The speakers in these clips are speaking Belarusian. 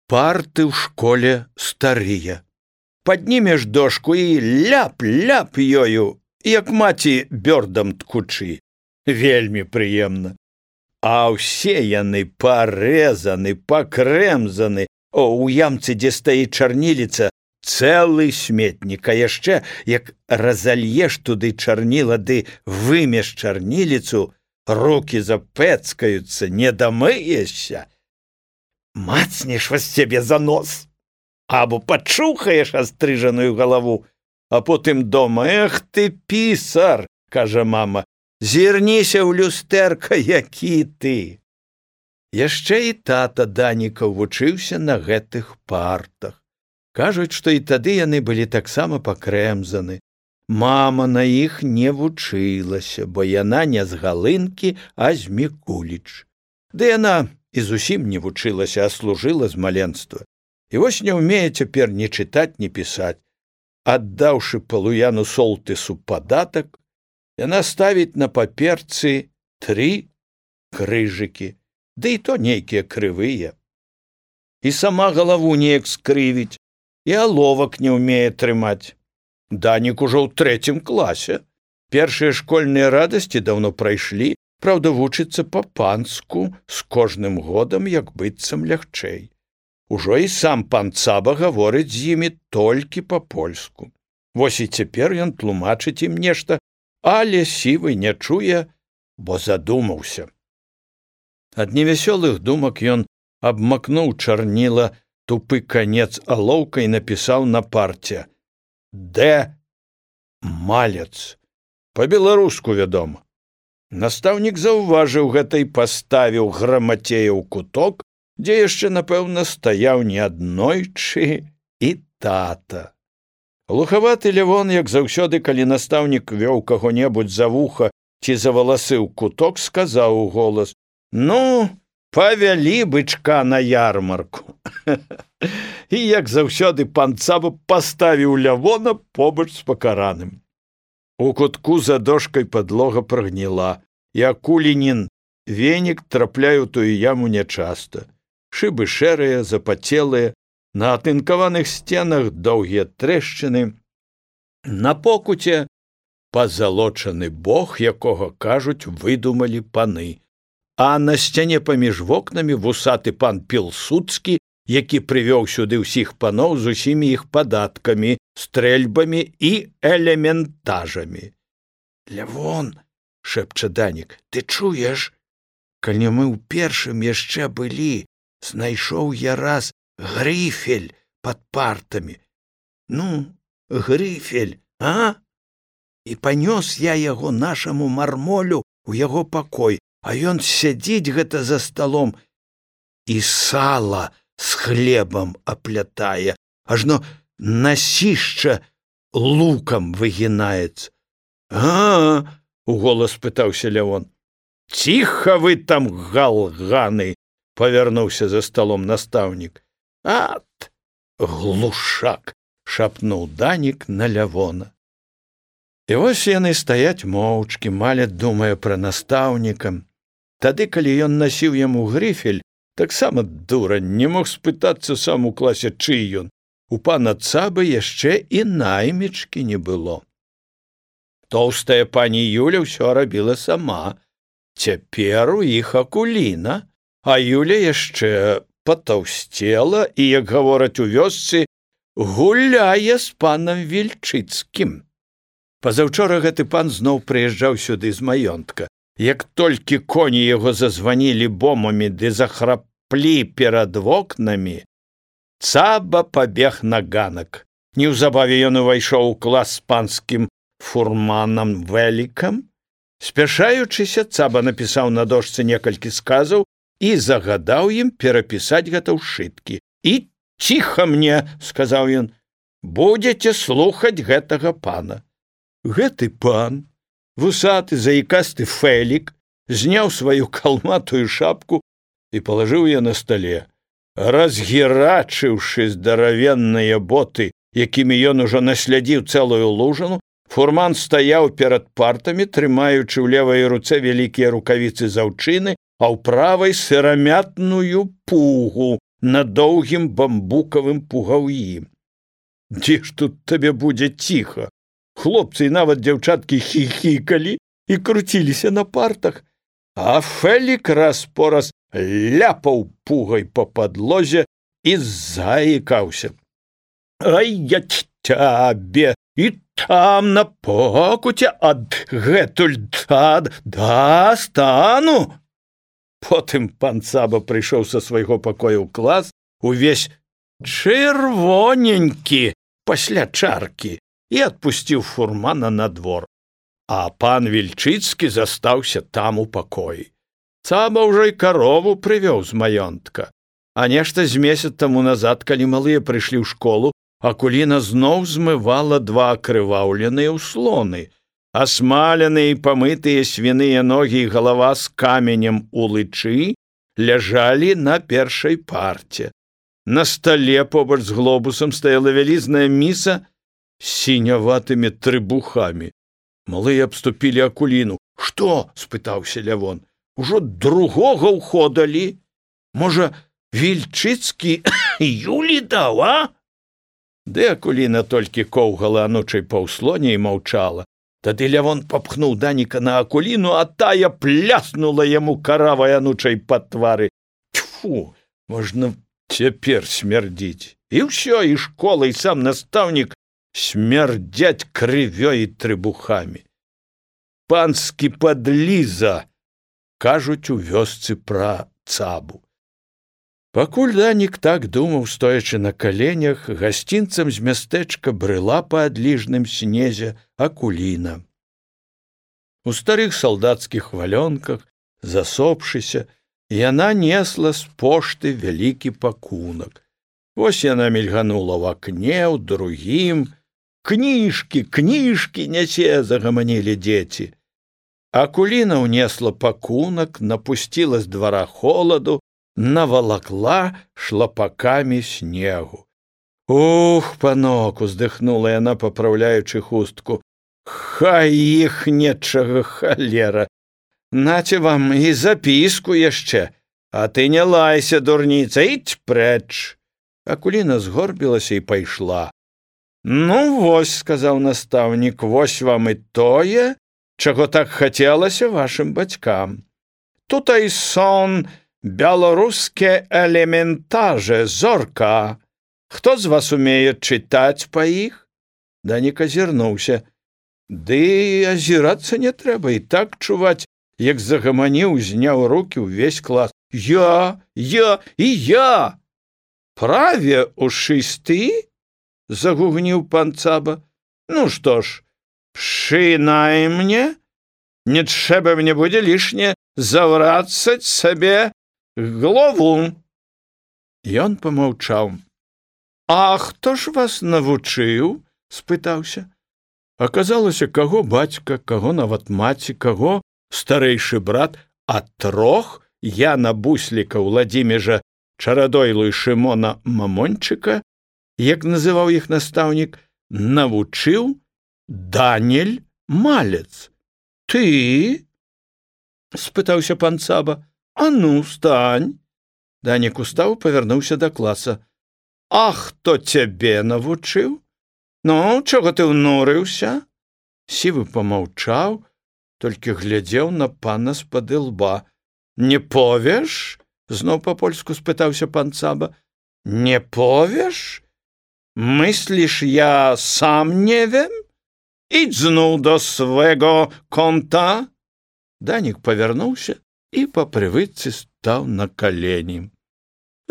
Парты ў школе старыя. Паднімеш дошку і ляп-ляп ёю, як маці бёрдам ткучы. Вельмі прыемна. А ўсе яны парэзаны, пакрэмзаны. У ямцы, дзе стаіць чарніліца, цэлы сметнік, а яшчэ, як разальеш туды чарніла ды вымеш чарніліцу, рукі запэцкаюцца, не дамыешся. Мацнеш вас цябе за нос. Або пачухаеш астрыжаную галаву, а потым дома: «Эх ты, пісар!» – кажа мама. «Зірніся ў люстэрка, які ты!» Яшчэ і тата Данікаў вучыўся на гэтых партах. Кажуць, што і тады яны былі таксама пакрэмзаны. Мама на іх не вучылася, бо яна не з Галынкі, а з Мікуліч. Ды яна і зусім не вучылася, а служыла з маленства. І вось не ўмее цяпер ні чытаць, ні пісаць. Аддаўшы Палуяну Солтысу падатак, яна ставіць на паперцы 3 крыжыкі, ды і то нейкія крывыя. І сама галаву неяк скрывіць, і аловак не ўмее трымаць. Данік ужо ў 3 класе. Першыя школьныя радасці даўно прайшлі, праўда, вучыцца па-панску, з кожным годам як быццам лягчэй. Ужо і сам пан Цаба гаворыць з імі толькі па-польску. Вось і цяпер ён тлумачыць ім нешта, але сівы не чуе, бо задумаўся. Ад невясёлых думак ён абмакнуў чарніла тупы канец алоўкай, напісаў на парце: «Д. Малец». Па-беларуску, вядома. Настаўнік заўважыў гэта і паставіў грамацея ў куток, дзе яшчэ, напэўна, стаяў неаднойчы і тата. Глухаваты Лявон, як заўсёды, калі настаўнік вёў каго-небудзь за вуха ці за валасы ў куток, сказаў у голас: «Ну, павялі бычка на ярмарку». І, як заўсёды, пан Цаба паставіў Лявона побач з пакараным. У кутку за дошкай падлога прагніла, і акулінін венік трапляе ў тую яму нячаста. Шыбы шэрыя, запацелыя, на атынкаваных сценах доўгія трэшчыны. На покуце пазалочаны бог, якога, кажуць, выдумалі паны. А на сцяне паміж вокнамі вусаты пан Пілсудскі, які прывёў сюды ўсіх паноў з усімі іх падаткамі, стрэльбамі і элементажамі. «Лявон», – шэпча Данік, – «ты чуеш? Калі мы ў першым яшчэ былі, знайшоў я раз грыфель пад партамі. Ну, грыфель, а? І панёс я яго нашаму мармолю ў яго пакой, а ён сядзіць гэта за сталом і сала з хлебам аплятае, ажно насішча лукам выгінаецца». «А, – уголас пытаўся Лявон. «Ціха вы там, галганы!» – павярнуўся за сталом настаўнік. «Ат, глушак!» – шапнуў Данік на Лявона. І вось яны стаяць моўчкі, Маля думае пра настаўніка. Тады, калі ён насіў яму грыфель, таксама дурань, не мог спытацца сам у класе, чый ён. У пана Цабы яшчэ і наймічкі не было. Тоўстая пані Юля ўсё рабіла сама. Цяпер у іх акуліна, а Юля яшчэ патаўсцела і, як гавораць у вёсцы, гуляе з панам Вільчыцкім. Пазаўчора гэты пан зноў прыязджаў сюды з маёнтка. Як толькі коні яго зазванілі бомамі ды захраплі перад вокнамі, Цаба пабег на ганак. Неўзабаве ён увайшоў у клас з панскім фурманам Вэлікам. Спяшаючыся, Цаба напісаў на дошцы некалькі сказаў і загадаў ім перапісаць гэта ў шыткі. «І ціха мне, – сказаў ён, – будзеце слухаць гэтага пана». Гэты пан, вусаты, заікасты Фэлік, зняў сваю калматую шапку і палажыў яе на стале. Разгірачыўшы здаравенныя боты, якімі ён ужо наслядзіў цэлую лужану, фурман стаяў перад партамі, трымаючы ў левай руцэ вялікія рукавіцы з аўчыны, а ў правай сырамятную пугу, на доўгім бамбукавым пугаўі. Дзе ж тут табе будзе ціха? Хлопцы і нават дзяўчаткі хіхікалі і круціліся на партах, а Фэлік раз-пораз ляпаў пугай па падлозе і заікаўся. Ай, я цябе і там на покуце адгэтуль дастану. Потым пан Цаба прыйшоў са свайго пакоя ў клас, увесь чырвоненькі пасля чаркі, і адпусціў фурмана на двор. А пан Вільчыцкі застаўся там у пакоі. Цаба ўжо і карову прывёў з маёнтка. А нешта з месяц таму назад, калі малыя прыйшлі ў школу, Акуліна зноў змывала два акрываўленыя ўслоны. Асмаленыя і памытыя свіныя ногі і галава з каменем у лычы ляжалі на першай парце. На стале побач з глобусам стаяла вялізная міса з сіняватымі трыбухамі. Малыя абступілі Акуліну. «Што?» – спытаўся Лявон. «Ужо другога ўходалі? Можа, Вільчыцкі Юлі даў, а?» Ды Акуліна толькі коўгала анучай па ўслоне і маўчала. Тады Лявон папхнуў Даніка на Акуліну, а тая пляснула яму каравай анучай па твары. Тьфу, можна цяпер смярдзіць. І ўсё, і школа, і сам настаўнік смярдзяць крывёй і трыбухамі. Панскі падліза, кажуць у вёсцы пра Цабу. Пакуль Данік так думаў, стоячы на каленях, гасцінцам з мястэчка брыла па адліжным снезе Акуліна. У старых салдацкіх валёнках, засопшыся, яна несла з пошты вялікі пакунак. Вось яна мільганула ў акне, ў другім. «Кніжкі, кніжкі нясе!» – загаманілі дзеці. Акуліна ўнесла пакунак, напусціла з двара холаду, навалакла шлапакамі снегу. «Ух, панок!» – уздыхнула яна, папраўляючы хустку. «Хай іх нечага халера! Наце вам і запіску яшчэ, а ты не лайся, дурніца, ідź прэч!» Акуліна згорбілася і пайшла. «Ну, вось», – сказаў настаўнік, – «вось вам і тое, чаго так хацелася вашым бацькам. Тутай сон беларускія элементаже, зорка. Хто з вас умее чытаць па іх?» Данік азірнуўся. «Ды азірацца не трэба, і так чуваць, як загаманіў, зняў рукі ўвесь клас. Я! І я! Праве ушысты?» – загугніў пан Цаба. «Ну што ж, пшынай мне, не трэба мне будзе лішне заврацаць сабе голову». Ён помаўчаў. «А хто ж вас навучыў?» – спытаўся. Аказалася, каго бацька, каго нават маці, каго старэйшы брат, а трох Яна Бусліка, Владзіміжа Чарадойлу і Шымона Мамончыка, як называў іх настаўнік, навучыў Данель Малец. «Ты?» – спытаўся пан Цаба. «А ну, стань!» Данік устаў, павярнуўся да класа. «А хто цябе навучыў? Ну, чаго ты ўнурыўся?» Сівы помаўчаў, толькі глядзеў на пана з-пад ілба. «Не повеш?» – зноў па-польску спытаўся пан Цаба. «Не повеш? Мысліш, я сам не вем? Ідź зноў до свайго конта!» Данік павярнуўся і па прывычцы стаў на калені.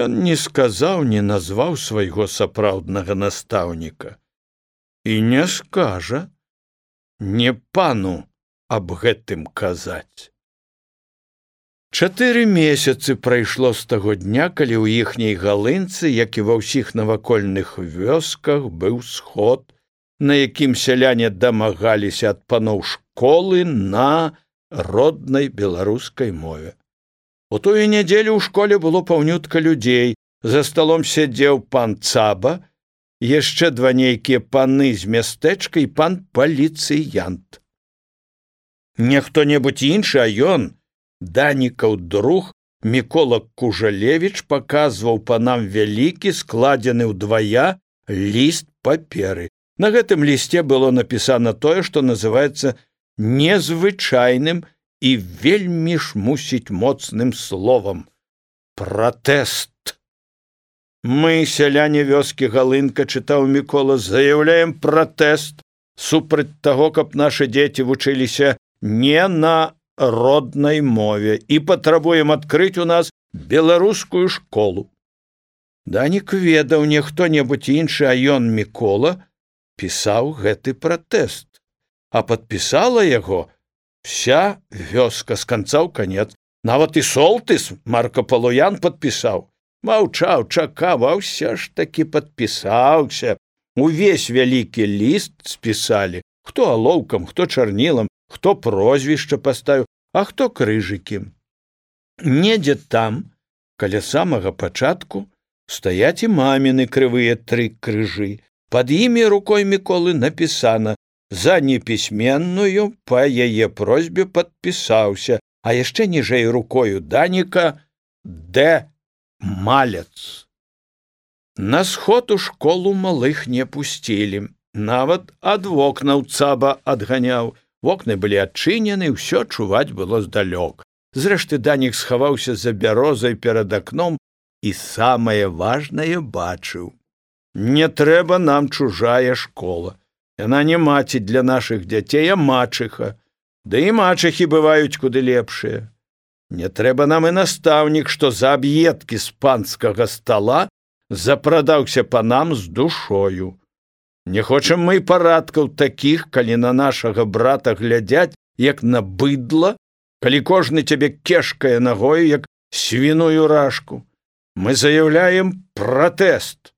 Ён не сказаў, не назваў свайго сапраўднага настаўніка. І не скажа, не пану аб гэтым казаць. 4 месяцы прайшло з таго дня, калі ў іхняй галынцы, як і ва ўсіх навакольных вёсках, быў сход, на якім сяляне дамагаліся ад паноў школы на роднай беларускай мове. У тую нядзелю ў школе было паўнютка людзей. За сталом сядзеў пан Цаба, яшчэ два нейкія паны з мястэчка і пан паліцыянт. Не хто-небудзь іншы, а ён, Данікаў друг, Мікола Кужалевіч паказваў панам вялікі, складзены ўдвая ліст паперы. На гэтым лісце было напісана тое, што называецца незвычайным і вельмі ж мусіць моцным словам пратэст. Мы, сяляне вёскі Галынка, чытаў Мікола, заяўляем пратэст супраць таго, каб нашы дзеці вучыліся не на роднай мове і патрабуем адкрыць у нас беларускую школу. Данік ведаў, не хто-небудзь іншы, а ён, Мікола, пісаў гэты пратэст, а падпісала яго вся вёска з канца ў канец. Нават і Солтыс Марка Палуян падпісаў. Маўчаў, чакаў, а ўсё ж такі падпісаўся. Увесь вялікі ліст спісалі, хто алоўкам, хто чарнілам, хто прозвішча паставіў, а хто крыжыкі. Недзе там, каля самага пачатку, стаяць і маміны крывыя 3 крыжы. Пад імі рукой Міколы напісана: за непісьменную па яе просьбе падпісаўся, а яшчэ ніжэй рукою Даніка Д. Малец. На сход у школу малых не пусцілі. Нават ад вокнаў цаба адганяў. Вокны былі адчынены, ўсё чуваць было здалёк. Зрэшты, Данік схаваўся за бярозай перад акном і самае важнае бачыў. Не трэба нам чужая школа. Яна не маці для нашых дзяцей, а мачыха. Да і мачыхі бываюць куды лепшыя. Не трэба нам і настаўнік, што за аб'едкі з панскага стала запрадаўся панам з душою. Не хочам мы і парадкаў такіх, калі на нашага брата глядзяць, як на быдла, калі кожны цябе кешкае нагою, як свіную рашку. Мы заяўляем пратэст.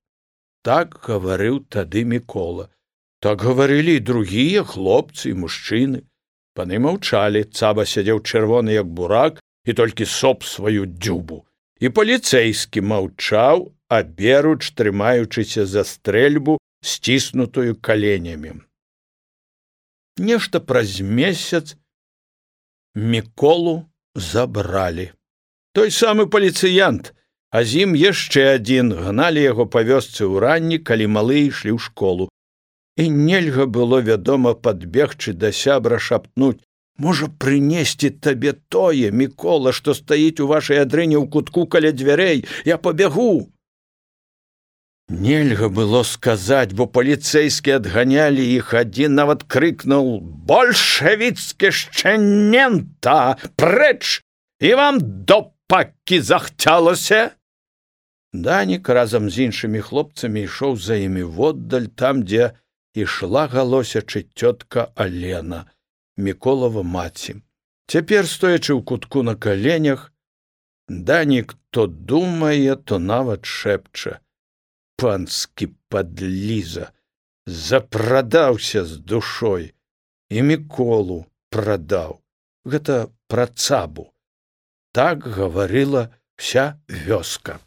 Так гаварыў тады Мікола. Так гаварылі і другія хлопцы і мужчыны. Паны маўчалі, цаба сядзеў чырвоны, як бурак, і толькі соп сваю дзюбу. І паліцэйскі маўчаў, аберуч трымаючыся за стрэльбу, сціснутую каленямі. Нешта праз месяц Міколу забралі. Той самы паліцыянт, а з ім яшчэ адзін, гналі яго па вёсцы ўранні, калі малы ішлі ў школу. І нельга было, вядома, падбегчы да сябра, шапнуць: можа, прынесці табе тое, Мікола, што стаіць у вашай адрыне ў кутку каля дзвярэй, я пабягу. Нельга было сказаць, бо паліцэйскі адганялі іх, адзін нават крыкнуў: «Большевіцкі шчэнента! Прэч! І вам до пакі захцялася!» Данік разам з іншымі хлопцамі ішоў за імі воддаль, там, дзе ішла галосячы цётка Алена, Міколава маці. Цяпер, стоячы ў кутку на каленях, Данік то думае, то нават шэпча: «Панскі падліза, запрадаўся з душой, і Міколу прадаў». Гэта пра цабу. Так гаварыла вся вёска.